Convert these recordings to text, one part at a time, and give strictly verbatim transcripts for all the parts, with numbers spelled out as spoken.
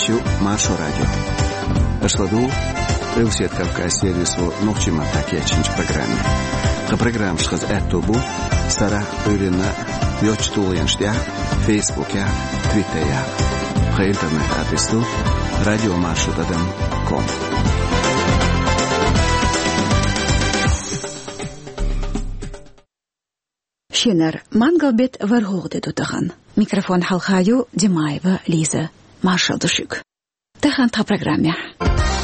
Шу Маршо радио. Аша ладугӀу Къилбаседа Кавказан сервисо нохчийн маттахь кечйинчу программе. Тхан программаш хаза аьтто бу сарахь а, Ӏуьйранна а йоцчу тулгӀенаш тӀехь а, Фейсбукехь а, Твиттерехь а. Тхан интернет-адрес ду радио маршо тӀадам ком. Шинара мангал-беттан ворхӀалгӀа де ду тахана. Микрофон хьалха ю Димаева Лиза. Маршалла ду шуьга. Тахана тхан программехь.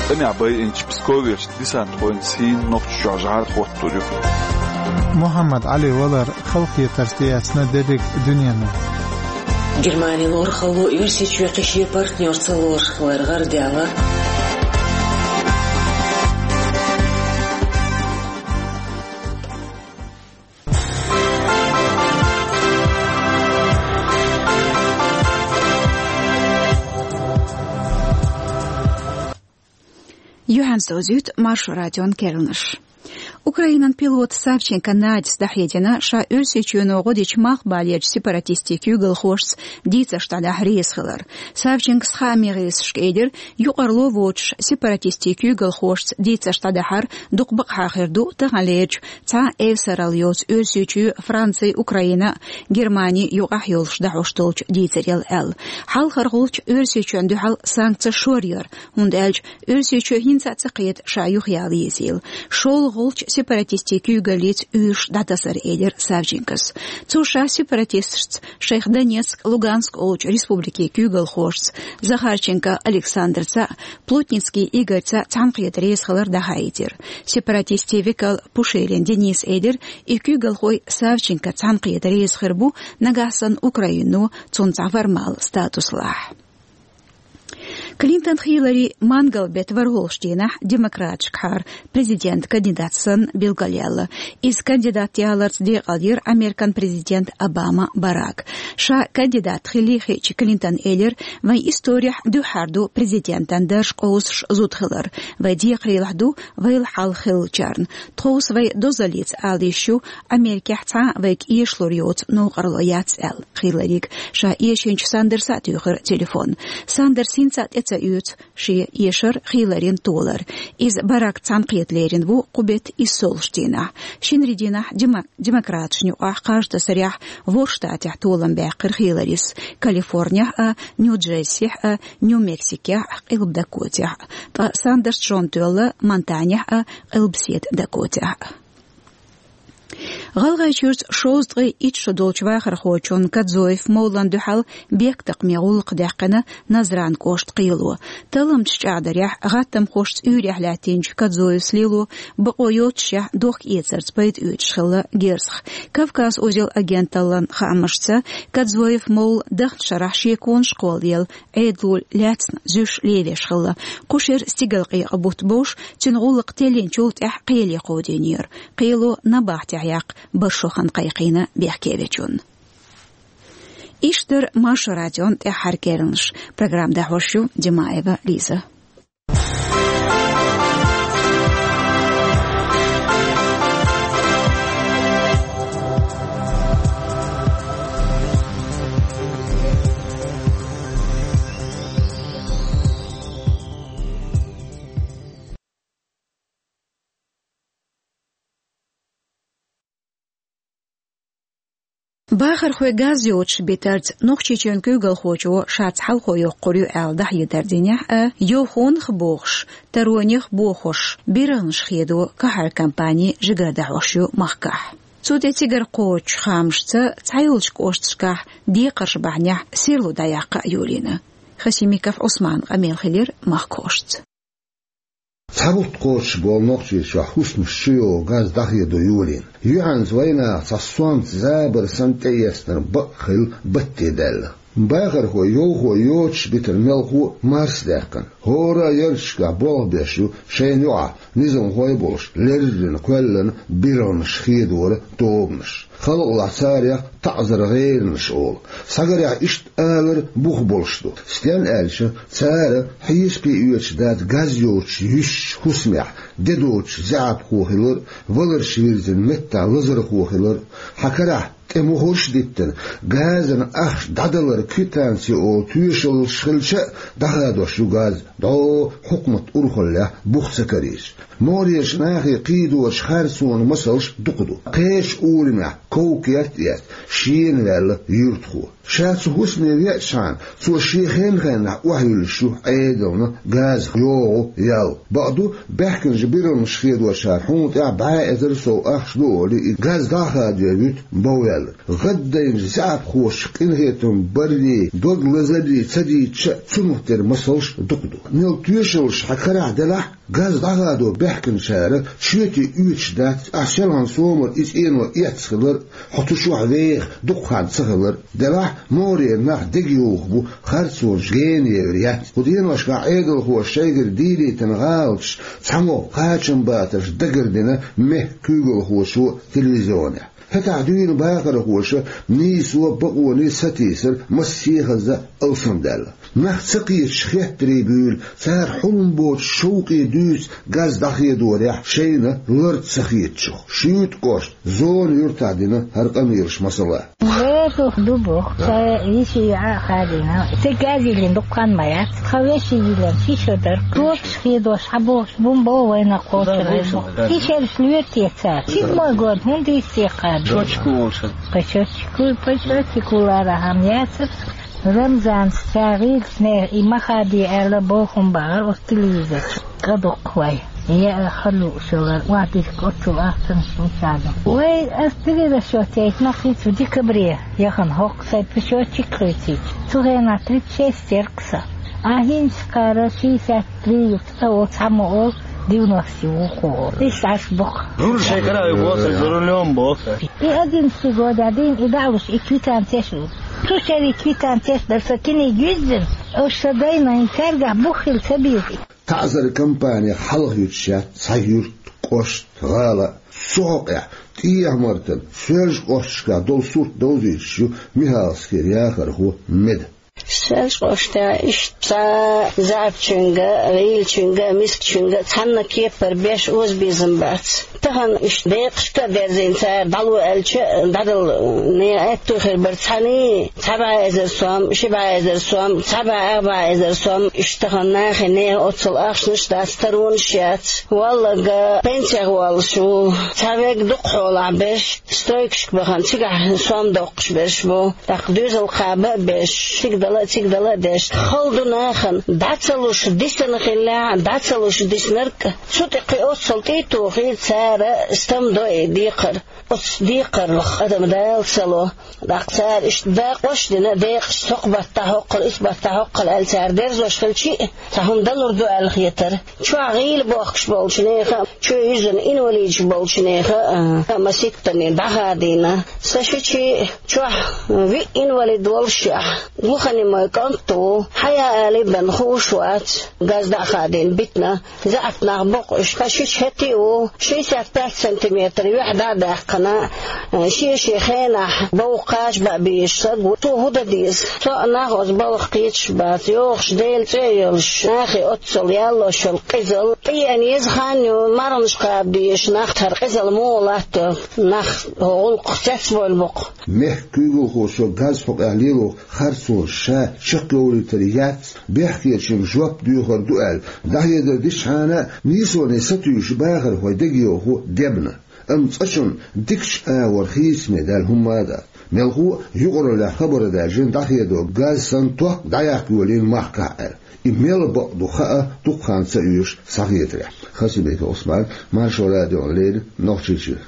ТӀамехь байинчу псковерчу десантхойн сийна Нохчийчохь жӀар хӀоттор ю. Мухьаммад Ӏали валар халахетарца тӀеэцна дерриг дуьненна. Германин лорахалло Оьрсийчоь кхин шен партнёрца лоруш хилар гӀарадаьлла. Юьхьанца довзуьйту Маршо радион керланаш. Украинан пилота Савченко Надис дӀахьедина, ша Оьрсийчоьно гӀо дечу малхбалерчу сепаратистийн куьйгалхошца дийцарш дӀадахьа реза хилар. Савченкос хааман гӀирсашка элира, юкъарло воцуш сепаратистийн куьйгалхошца дийцарш дӀадахьар дукха бакъахьа хир ду таханлерчу цхьа а эвсаралла йоцу Оьрсийчоь, Франци, Украина, Германи юкъахь йолуш дӀахьош долчу дийцарел аьлла. Хьалхархьулча Оьрсийчоьнна дуьхьал санкцеш шоръяр, хӀунда аьлча Оьрсийчоь хӀинца а ца кхета ша юхаяла езийла. ШолгӀачу сепаратистийн куьйгаллица уьйраш дӀатасар, элира Савченкос. Цо ша сепаратисташца, шайх Донецк, Луганск олучу республикийн куьйгалхошца, Захарченко Александрца, Плотницкий Игорьца цхьаьнакхета реза хилар дӀахаийтира. Сепаратистийн векал Пушилин Денис элира, и куьйгалхой Савченко цхьаьнакхета реза хир бу, нагахь санна Украино цунна цхьа формал статус лахь. Клинтон Хиллари мангал-беттан ворхӀалгӀачу дийнахь демократашкахьара президентан кандидат санна билгалъяьлла. Иза кандидат яларца декъалйира Американ президент Обама Барак. Ша кандидат хилла хиъча, Клинтона элира: «Вайн исторехь дуьххьара ду президентан дарж къовсуш зуда хилар. Вайн декхарийлахь ду вайл хьалха хиллачарна. Тховса вай дозаллица ала йиш ю, Америкехь цхьа а вайга эшалур йоцу новкъарло яц», — аьлла Хилларига. Ша эшийначу Сандерса а туьйхира телефон. Сандерс хӀинца а тӀе ца оьцу шен эшар Хилларина толар. Иза Баракца цхьаьнакхета лерина ву кху беттан иссолгӀачу дийнахь. Шинарин дийнахь дема-, демократашна юкъахь кхаж тасарехь ворхӀ штатехь толам баьккхира Хилларис: Калифорнехь а, Нью-Джерсихь а, Нью-Мексикехь а, Къилба Дакотехь а. Ткъа Сандерс чӀогӀа тоьлла Монтанехь а, Къилбаседа Дакотехь а. ГӀалгӀайчуьрчу шовзткъе итт шо долчу вахархочун Кодзоев Мовлан дуьхьал бехктакхаме гӀуллакх даьккхина Назран кӀоштан кхело. Талламчаш чӀагӀдарехь, гӀаттамхошца уьйрехь лаьттинчу Кодзоевс лело бакъо йоццушехь дохка-эцарца пайда оьцуш хилла герзах. «Кавказ узел» агенталлан хаамашца, Кодзоев Мовла дахначу шарахь шеконаш кхолладелла Ӏедало лаьцна зуьйш левеш хилла. Кху шеран стигалкъекъа бутт бовш, цуьнан гӀуллакх теллинчул тӀаьхьа кхеле кховдийнера. Кхело набахтехь яккха баршо хан кхайкхийна бехкевечунна. Иштта дара Маршо радион тӀаьххьара керланаш. Программа дӀахьош ю Димаева Лиза. Бахархой газ йоцуш битарца Нохчийчоьнан куьйгалхочо шаьца хьалхо йоккхур ю аьлла дӀахьедар динехь а, йовхонах а бохуш, таронех а бохош, биргӀанаш хедо кхахьар компани жигара дӀахьош ю махкахь. Цу тӀе цигара кхочучу хаамашца, цхьайолчу кӀошташкахь декхарш бахьанехь серло дӀаяккха а йолийна. Хасимиков Ӏусманан къамел хилира махкахошца. Цхьа бутт кхочуш болу Нохчийчохь хӀусамаш чу йогӀу газ дӀахедо йолийна. Юьхьанца вайнаха цхьа сонта забар санна тӀеэцнарг бакъ хилла батте даьлла. Бахархой йовхо йоцуш битар мелхо а марсадаьккхина. ХӀора а ярташкахь болх беш ю шайна юкъахь низамхой а болуш, леррина кхоьллина биргӀанаш хедора тобанаш. Халкъалахь царех таӀзар гӀеринарш олу. Схьагарехь, иштта алар бух болуш ду. Стенна аьлча, цара хьесапе оьцуш дац газ йоцуш юьсучу хӀусамехь де доцучу заьӀапхо хилар а, валарш вирзина меттахь лазархо хилар а. Хьан карахь тӀе мухӀарш а диттина, газан ахча дӀадалара квитанци олу тоьшаллаш хилча а, дӀахадош ю газ, дӀо хьукмат урхаллехь бух ца карийча. МогӀарерчу нахе кхийдочу харцонан масалш дукха ду. Кхечу урамехь ков-керт а эцна, шена ваьлла юьртахо. Ша цу хӀусаме веачхьана, цо шен хенан-хеннахь охьайиллуш ю Ӏедална газах йогӀу ял. Бакъду, баьхкинчу бирламаш хедочара хьуна тӀехь бӀе эзар сов ахча ду олий, и газ дӀа а хадо вуьту бовваьлларг. ГӀаддайначу заьӀапхоша къинхетам баррий, дог лазаррий ца дийцча а, цунах тера масалш дукха ду. Мел тоьшаллаш хьан карахь делахь, газ дӀахадо баьхкинчара чоьте оьцуш дац, ахь селхана сомал и цӀено эцна хилар, хьо цу чохь веха дукха хан ца хилар. Делахь, могӀарера нах дегайовхо бу харцонаш генайевр яц. Кху деношкахь Ӏедалхоша шайгара дийлийтина гӀалаташ цхьамогӀа кхачамбатарш дагардина мехкан куьйгалхочо телевизионехь. ХӀетахь дуьйна бахархоша нийсо а, бакъоне а сатийсар массехаза а алсамдаьлла. Нах ца кхеташ хеттарий буьйлу, цара хьулам боцуш шовкъе дуьйцу газ дӀахедорехь шайна лард ца хетачух. Шуьйта кӀоштан Зона юьртахь дина хӀара къамелаш масала. Везух ду боху, ца йиша яа хадийна. Ца газ йиллина дукха хан ма яц. Тхан вешин йиллина ши шо дара. Кокаш хедош хьан бохуш бун бо вайна кхочур везух. И шераш лоьру те цара? Седьмой год хӀунда йисте кхаба? Точка улша. Пачочку, пачочку лара хьан яцар. Рамзанца гӀирсане и ма хадий аьлла бохам бахара оцу телевизор чу. КӀа дуккха вай. Я хала лууш йолар, вадийчка оццул ахчанаш ву царна. Вай, ас дилира шо тейт нах хӀинца декабре яхана хӀокху сайн пачочек хуьйцийча. Цу хенахь тридцать шесть яра-кх сан. А хӀинца кхара шестьдесят три ю, цкъа оцу хьан ма олу, девяносто ю ву кху олу. Иштта Ӏаш бу-кх. Жур шайн кара ю боху, за рулём боху. И одиннадцатый годехь дийна и дӀа а луш, и квитанцеш а ву. Цу шерийн квитанцеш дара сан киниг юьззина, оцу сан дайна хӀинца цаьргахь бух хила ца беза. ТаӀзар кампанех хьалха юьтуш яц цхьа юрт, кӀошт, гӀала а. Цу хьокъехь ТӀехьа-Мартан, Соьлжа-кӀошташкахь долу сурт довзуьйтуш ю Михалскера яхархо Меда. Соьлжа-кӀоштехь иштта цхьа заьӀапчуьнга, гӀийлачуьнга, мискачуьнга цхьанна кепара беш озабезам бац. Тахана иштта декъашка а дерзийна цара дӀало аьлча, дӀадала нехан аьтту хир бара цхьаьний. Цхьа бӀе эзар сом, ши бӀе эзар сом, цхьа бӀе ах бӀе эзар сом, иштта тахана нахе нехан оццул ахчанаш дац, таронаш яц. Валлага пенсех воллуш ву. Цхьа вег дукха хьолахь берш, стройкашка бахана, цигахь сом доккхуш берш бу. ТӀаккха доьзал кхаба а беш, шига дала а, цига дала а деш. Хала ду нахана, дӀа ца луш дисина хиллехь, дӀа ца луш диснарг а, цу тӀе кхин оццул тӀе а тухий, цара стам до и декхар. Оцу декхарлах адам Дала ца ло. ТӀаккха цара иштта дакъош а дина, декъашца хӀокху баттахь хӀокхула, исс баттахь хӀокхула аьлла, цара дерзош хилчи а, цхьа хӀума далур ду аьлла хетара. Чохь гӀийла бохкуш болчу нехан а, чоь юьззина инвалидаш болчу нехан а, а, маситтанийн дӀахадийна. Сан шичи чохь виъ инвалид волушехь, глухонемой кӀант ву, хьаяа алий бен хууш вац, газ дӀа а хадийна битина. ЗаьӀап нах боккхуш, ткъа шича хӀетте а ву, шестьдесят пять сантиметр юьхь дӀа а даьккхина, шен-шен хенахь бовха кхача баа безаш саг ву. Цо хӀун дан деза? Цхьа а нах оцу балха кхеташ бац, йогӀуш Делан цӀе а йолуш, нахе оццул яллош йолу къизалла. ТӀеэна еза хан ю, марханаш кхаба дезаш нах, хӀара къизалла муха латто, нах хӀокху гӀуллакхах цецбевлла бу-кх. Мехкан куьйгалхочо газ хьокъехь лело харцонаш ша чекхйовлийтар яц, бехкечуьнга жоп доьхур ду аьлла, дӀахьедар дичхьана а, нийсоне сатуьйсуш бахархой дегайовхо дебна. Амма цкъачунна дикачу агӀор хийцаме даьлла хӀумма а дац. Мелхо а юкъараллехь хабар а даьржина дӀахедо, газ санна ток дӀаяккха йолийна махкахь аьлла. И мел бакъ ду хаа дукха хан ца оьшуш схьахетарехь. Хасимиков Ӏусман, Маршо радиона леррина, Нохчийчуьра.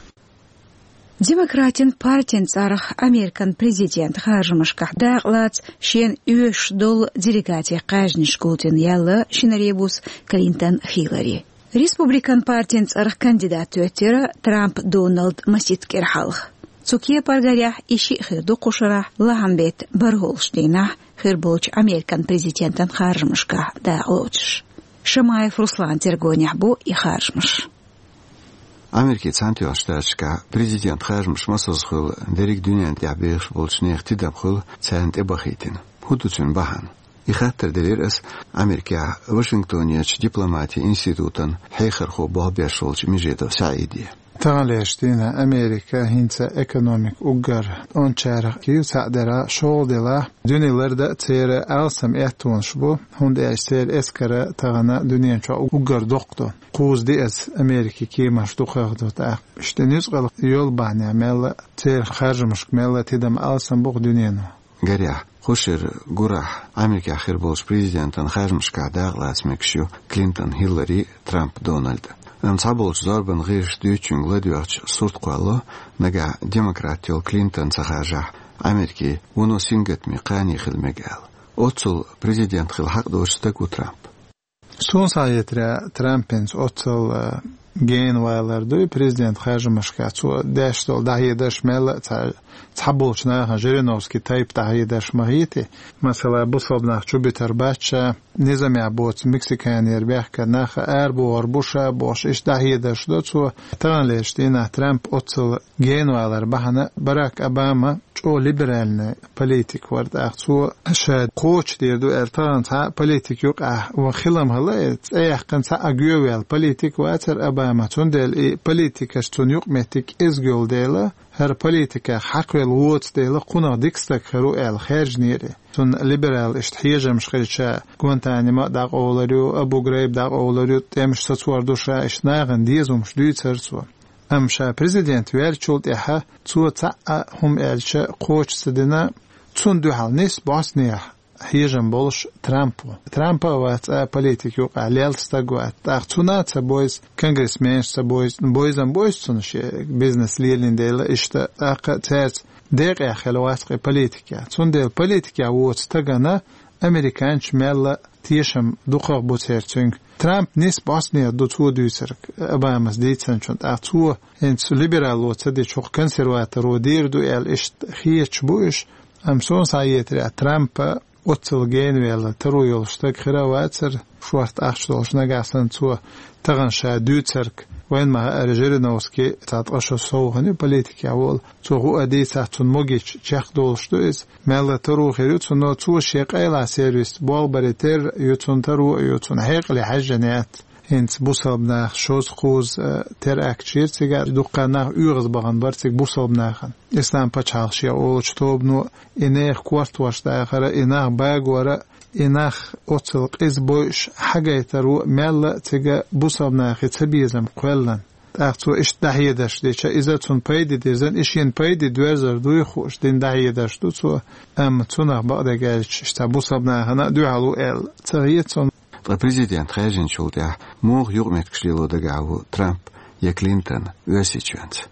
Демократийн партин цӀарах Американ президентан харжамашкахь дакъалаца шена оьшуш долу делегатийн кхаьжнаш гулдина яьлла шинаребус Клинтон Хиллари. Республикан партин цӀарах кандидат тоьттира Трамп Доналд маситта кӀира хьалха. Цу кепара гарехь и шиъ хир ду кху шарахь лахьан беттан бархӀолгӀачу дийнахь хир болчу Американ президентан харжамашкахь дакъалоцуш. Шамаев Русланан тергонехь бу и харжамаш. Америкин Цхьаьнатоьхначу Штаташкахь президентан харжамаш масаза хуьлу дерриг дуьнен тӀехь бехаш болчу нехан тидам хуьлу царна тӀебахийтина. ХӀун ду цуьнан бахьана? И хаттар делира ас Америкехь Вашингтонерчу дипломатин институтан хьехархо болх беш волчу Межедов СаӀиде. Таханлерча дийнахьа Америка хӀинца экономика уггар ончарах кийв цхьаъ дара шолдела, дуьне ларда а церан алсам эттонаш бу, хӀунда аьлча церан эскара тахана дуьнен чохь уггар доккха ду. Кхуза диъаза Америкин кеманаш дукхагӀа ду тӀаккха. Иштта нуьцкъала йолу бахьанехь мелла а церан харжамашка мелла а тидам алсам бу-кх дуьнено. Гарехь, кху шеран гурахь Америкехь хир болчу президентан харжамашкахь дакъалаца мегаш ю Клинтон Хиллари, Трамп Дональд. Амма цхьаболчу зорбанан гӀирсаша дуьйцучуьнга ладоьгӀча сурт кхоллало, нагахь демократ йолу Клинтон ца харжахь, Америкин вуно сингаттаме кхане хила мега аьлла. Оццул президент хила хьакъ доцу стаг ву Трамп. Суна схьахетарехь, Трампаца оццул, а, генавалар ду и президент харжамашкахь, цо деш долу дӀахьедарш мелла а цхьа, цхьаболчу нахана Жириновский тайпа дӀахьедарш ма хетий. Масала, бусалба нах чубитар бац ша, низамехь боцу Мексиканера бехкан нах арабохур бу ша бохуш, иштта дӀахьедарш до цо. Таханлерчу дийнахь Трамп оццул генавалар бахьана Барак Обама чӀогӀа либеральный политик вара, тӀаккха цо ша кхочушдийр ду аьлла тахана цхьа а политик юкъахь ван хилам хила, и цӀе яьккхина цхьа а гоьваьлла политик вацара Обама, цундела и политикаш цунна юкъаметтиг кӀезиг йолу дела, хӀара политиках хьакхавелла воцу дела, кхунах дика стаг хир ву аьлла хаьржинера. Цунна либерал иштта хьежамаш хилча, Гуантанамо а дӀакъовлур ю, Абу Грайб дӀакъовлур ю, тӀемаш сацор ду ша, иштта нахана дезамаш дуьйцура цо. Амма ша президент ваьллачул тӀаьхьа цо цхьа а хӀума аьлча кхочуш ца дина, цунна дуьхьал нисса бӀостанехьа хьежам болуш Трамп ву. Трампа а вац цкъа а политик юкъахь лелла стаг вац. ТӀаккха цунна а ца бойза, конгрессменаш ца бойза, бойзам бойза цунна шен бизнес лелийна дела, иштта тӀаккха а цаьрца декъехь хила вац-кх и политикехь. Цундела политикехь воцу стагана американчу мелла а тешам дукхагӀа бу церан цуьнга. Трамп нисса бӀостанехьа ду цо дуьйцург, Обамас дийцинчунна. ТӀаккха цо хӀинца либерало ца дича, хӀокху консерваторо дийр ду аьлла, иштта хеташ бу уьш. Амма суна схьахетарехь, Трампа оццул генавелла таро йолуш стаг хир а вацара, шорта ахча долуш. Нагахь санна цо тахана ша дуьйцург, вайна ма-хаъара, Жириновский цхьа ткъа шо сов хӀун ю политикехь волу, цо хӀуъа дийцахь, цунна могича чекхдолуш ду иза. Мелла а таро хир ю цунна, цо шен къайлаха сервисца болх баре терра ю цунна, таро а ю цунна, хьекъале хьаьжжина яц. ХӀинца бусалба нах шозза-кхузза, э, теракт йира цигахь, дуккха нах оьгӀазбахана бара цига бусалба нахана. Ислам пачхьалкх шен олучу тобано и нехан кортош дахар а, и нах багор а, и нах оццул къиза бойуш хьагайтаро а мелла а цига бусалба нахе цабезам кхоьллина. ТӀаккха цо иштта дӀахьедарш дича, иза цунна пайде дирзина, и шена пайде доьрзур дуй хууш дина дӀахьедарш ду цо, амма цунах бакъдерг аьлча, иштта бусалба нахана а дуьхьал ву аьлла ца хета цунна. Ткъа президент хаьржинчул тӀаьхьа муха юкъаметтигаш лело дагахь ву Трамп я Клинтон Оьрсийчоьнца?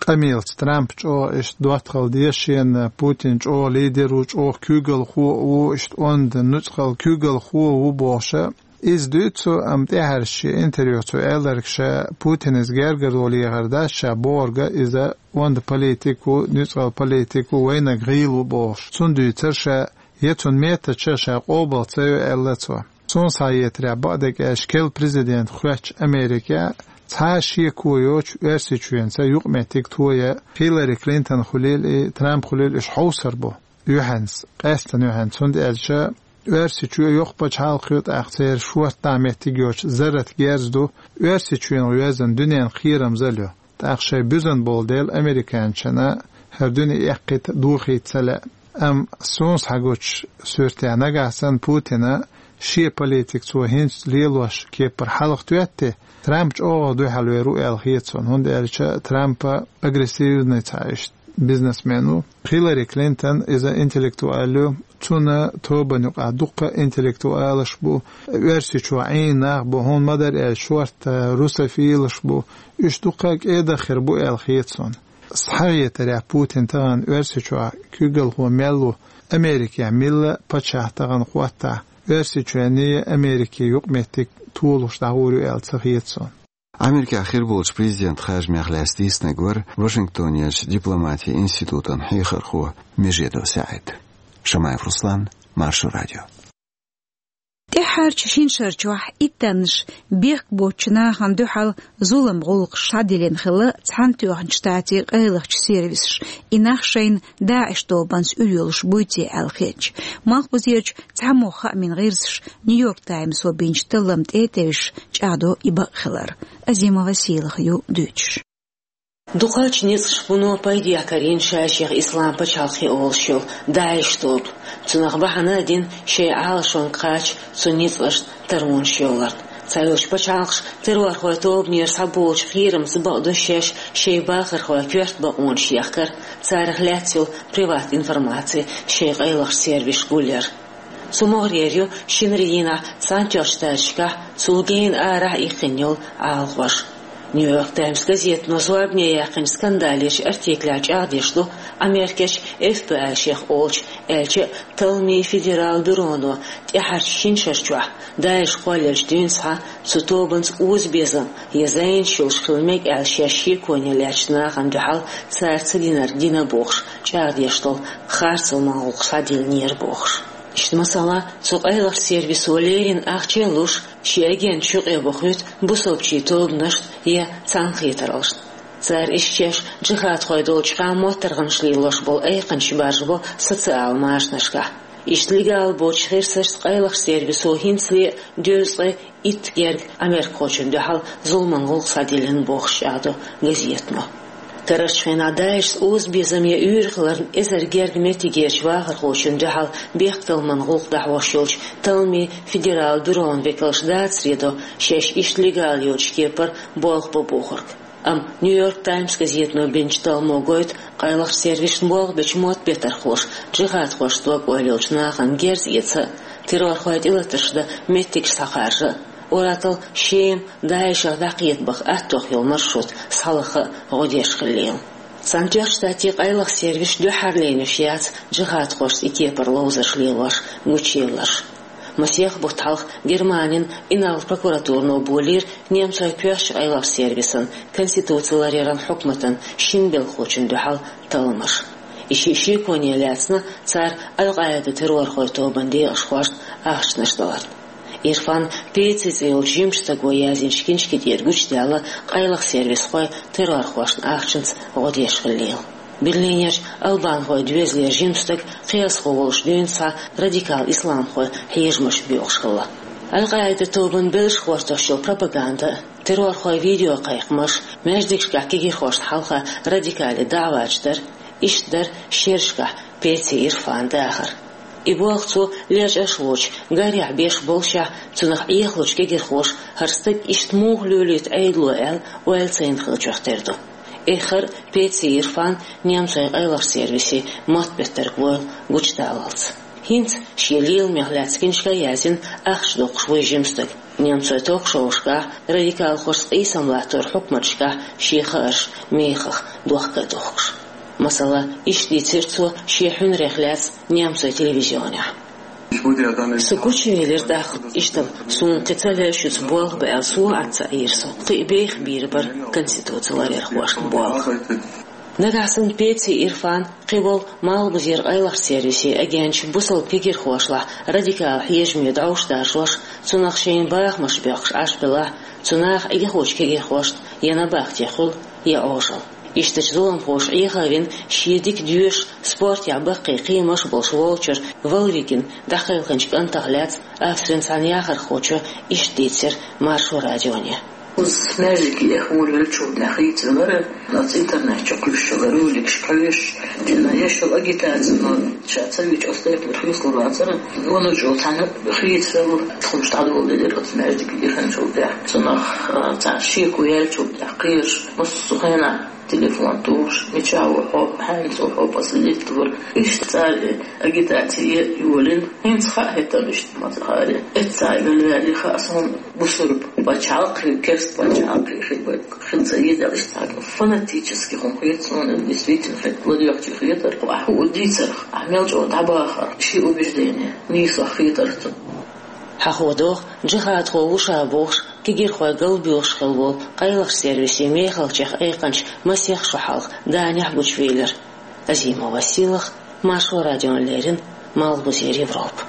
Къамелаца Трамп чӀогӀа иштта доттагӀалла деза шена, Путин чӀогӀа лидер ву, чӀогӀа куьйгалхо а ву, иштта онда нуьцкъала куьйгалхо а ву бохуш а. Иза дуьйцу, амма тӀаьхьарчу шен интервьюхь цо аьлларг, ша Путинца гергарло лехар дац, ша бохург иза онда политик ву, нуьцкъала политик ву, вайнаг гӀийла ву бохуш. Цунна дуьйцура ша, я цунна меттача ша къобал ца йо аьлла цо. Суна схьахетарехь, бакъдерг аьлча, керла президент хоьттуш Америкехь цхьа а шеко йоцуш Оьрсийчоьнца юкъаметтиг тоя Хиллари Клинтон хуьлийла и Трамп хуьлийла, уьш хьовсур бу юьхьанца, къаьсттина юьхьанца, хӀунда аьлча Оьрсийчоь йоккха пачхьалкх ю, тӀаккха церан шорта дӀа меттиг йоцуш зарратан герз ду, Оьрсийчоьнах йоьзна дуьненан кхерамзалла ю. ТӀаккха шайн буьзна болу дела американчана хӀара дуьне эккхийта, дохийта ца лаьа. Амма суна схьагучу суьртехь, нагахь санна Путина шен политика цо хӀинца лелош кепара хьалха тоьттий, Трамп чӀогӀа дуьхьал вер ву аьлла хета суна, хӀунда аьлча Трампа агрессивный цхьа иштта бизнесмен ву. Хиллари Клинтон иза интеллектуал ю, цуьнан тобанна юкъахь дуккха а интеллектуалаш бу, Оьрсийчохь Ӏийна нах бу, хӀунда ма-дарра аьлча шортта русофилаш бу, уьш дуккха а кӀеда хир бу аьлла хета суна. Схьахетарехь, Путин тахана Оьрсийчохь куьйгалхо мел ву, Америкехь милла паччахь тахана хӀоттахь, Оьрсийчоьнний Америкий юкъаметтиг толуш дӀагӀур ю аьлла ца хета суна. Америкехь хир болчу президент харжамех лаьцна дийцинарг вара Вашингтонерчу дипломатин институтан хьехархо Межедов СаӀид. Шамаев Руслан, Маршо радио. ТӀаьххьарчу шина шарчохь иттаннаш бехк боцучу нахана дуьхьал зулам гӀуллакхаш схьадиллина хилла Цхьаьнатоьхначу Штатийн къайлахчу сервисаша, и нах шайна ДАИШ тобанца уьйр йолуш буй те аьлла хетча. Малхбузерчу цхьамогӀа хаамийн гӀирсаша Нью-Йорк Таймсо бинчу талламна тӀе а тевжаш, чӀагӀдо и бакъ хилар. Азимова Сийлаха ю дуьйцуш. Дукхача ницкъашка вуно пайдехьа карийна ша-шех Ислам пачхьалкхе олуш йолу ДАИШ тоба. Цунах бахьана а дина шайн Ӏалашонга кхача цу ницкъашна таронаш йолларна. Цхьайолчу пачхьалкхаша террорхойн тобанера схьаболучу кхерамца бакъду шаьш шайн бахархойн коьрта бакъонаш ехкар, царах лаьцна йолу приват информаци шайн къайлахчу сервисашка гулъяр. Цу могӀарера ю шинарин дийнахь Цхьаьнатоьхначу Штаташкахь, цул гена арахь а иккхина йолу Ӏалахош. Нью-Йорк Таймс газетано зорбане яьккхинчу скандалечу артиклехь чӀагӀдеш ду Америкерчу F B I шех олучу, аьлча а, талламийн федералан бюроно тӀаьхьарчу шина шарчохь ДАИШ кхоллаелчу дуьйна схьа цу тобанца озабезам я зӀенаш йолуш хила мега аьлла шаьш шеконе лаьцначу нахана дуьхьал цара ца динарг дина бохуш чӀагӀдеш долу харцаман гӀуллакх схьадиллинера бохуш. Иштта, масала, цу къайлахчу сервисо леррина ахча а луш, шен агенташ юкъе бохуьйту бусалбачийн тобанашна я цхьаьнакхетараллашна. Цара иштта шаьш джихадхой долчу хьан моттаргӀанаш лелош болу айкханчаш баржабо социал машанашкахь. Иштта легал боцуш хирсашца къайлахчу сервисо хӀинцале а дезткъе итт герга америкахочунна дуьхьал зуламан гӀуллакх схьадиллина бохуш чӀагӀдо газетано. Карарчу хенахь ДАИШца озабезам я уьйр хиларна эзар герга меттигерчу вахархочунна дуьхьал бехктакхаман гӀуллакх дӀахьош йолчу талламийн федералан бюрон векалша дацаре до шаьш иштта легал йоцучу кепара болх бо бохург. Амма Нью-Йорк Таймс газетано бинчу талламо гойту къайлахчу сервисашна болх бечу мотт бетархоша джихадхошца дог-ойла йолчу нахана герз эца а, террорхойн тӀелатарш дан меттигаш схьакхаржа а, ур-атталла шема ДАИШах дӀакхета баха аттох йолу маршрут схьалаха а гӀо деш хилла. Цхьаьнатоьхначу Штатийн къайлаха сервисаш дуьххьарлернаш яц джихадхошца и кепара ловзарш лелош гучуелларш. Масех бутт хьалха Германин инарла прокуратурано болийра немцойн коьртачу къайлахчу сервисан конституци ларъяран хьукматан шина белхахочунна дуьхьал талламаш. И шиъ шеконе лаьцна цара Аль-Къаида террорхойн тобанан декъашхошна ахчанаш даларна. Ирфан Пеци цӀе йолчу жимачу стага яздинчу киншки тӀера гучудаьлла къайлаха сервисхой террорхошна ахчанца гӀо деш хилла. Берлинерчу албанхойн доьзалера жима стаг кхиазхо волуш дуьйна схьа радикал исламхойн хьежамаш боькъуш хилла. Аль-Къаида тобанан белшаш гӀортош йолу пропаганда, террорхойн видеокхайкхамаш, маьждигашкахь кегирхошна хьалха радикале даӀваташ дар, иштта дара шерашкахь Пеци Ирфанан дахар. И болх цо лечкъаш воцуш, гарехь беш боллушехь, цунах Ӏехалучу кегирхоша хӀара стаг иштта муха лелийта Ӏедало аьлла, ойла ца йина хиллачух тера ду. Эххар а Пеци Ирфан немцойн къайлахчу сервисийн мотт беттарг войла гучудаллалц. ХӀинца шен леламех лаьцна киншка а яздина, ахча доккхуш вуй жима стаг. Немцойн ток-шоушкахь, радикалхошца къийсам латторан хьукматашкахь шен хаарш мехах дохка а дохкуш. Масала, иштта дийцира цо шен хьуьнарех лаьцна немцойн телевизионехь. Со гучувелира тӀаккха, иштта суна кхин ца леш шуьца болх бан аьлла, сов Ӏад ца Ӏийра со. Кхин а беха бийр бара конституци ларъярхошна болх. Нагахь санна Пеци Ирфан кхин волу Малхбузера къайлахчу сервисийн агенташ бусалба кегирхошлахь радикал хьежаме дӀовш даржош, цунах шайна бахамаш боьккхуш Ӏаш белахь, цу наха Ӏехочу кегирхошна я набахте хуьлу, я Ӏожалла. Ишттачу зуламхоша Ӏеха а вина, шен дика доьшуш, спортехь баккхий кхиамаш а болуш волчуьра Валвигин дӀакхелхинчу кӀантах лаьцна Австрин цхьана яхархочо иштта дийцира Маршо радионе. Оцу маьждиге эхь волавеллачул тӀаьхьа хийцавелира, оцу интернет чу кхуьйсуш йолу роликаш кхоьхьуш, дина еш йолу агитаци, но ша ца вича оцу тайпара хьоьстур вацара, ванна чӀогӀа цхьаьна хийцавелла, тхумаш дӀадоладелира оцу маьждиге эханчул тӀаьхьа. Цунах, а, цхьа шеко яьллачул тӀаьхьа кхераш, массо а хенахь телефон тухуш, мичахь ву хьо, хьаьнца ву хьо, последить вара. Иштта цара агитаци йолийна, хӀинца хаьа хӀеттана иштта ма ца хаьара. Эццахь ваьлла ваьлла хаьа суна бусурба пачхьалкхе, керста пачхьалкхе хир бай. Хин ца йидалаш цхьаьна фанатически хӀума хета суна, действительно, хета ладоьгӀчий хетара. Ахь хӀу дийцарх, ахь мел чӀогӀа дӀабахарх, ши убеждение нийсо хетара цунна. Хьахо доху, джихадхо ву ша бохуш, кегирхой галбоьлхуш хилла волу къайлахчу сервисийн мехалчех айкхинчу масех шо хьалха Данехь гучувелира. Азимова Силах, Маршо радиона леррина, Малхбузера Европа.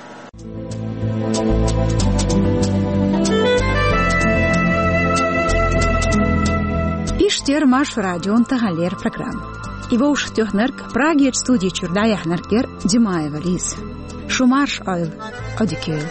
Иштта яра Маршо радион таханлера программа. И вовшахтоьхнарг, Прагерчу студи чуьра дӀаяьхьнарг яра Димаева Лиза. Шу марша Ӏойла, Ӏодика йойла.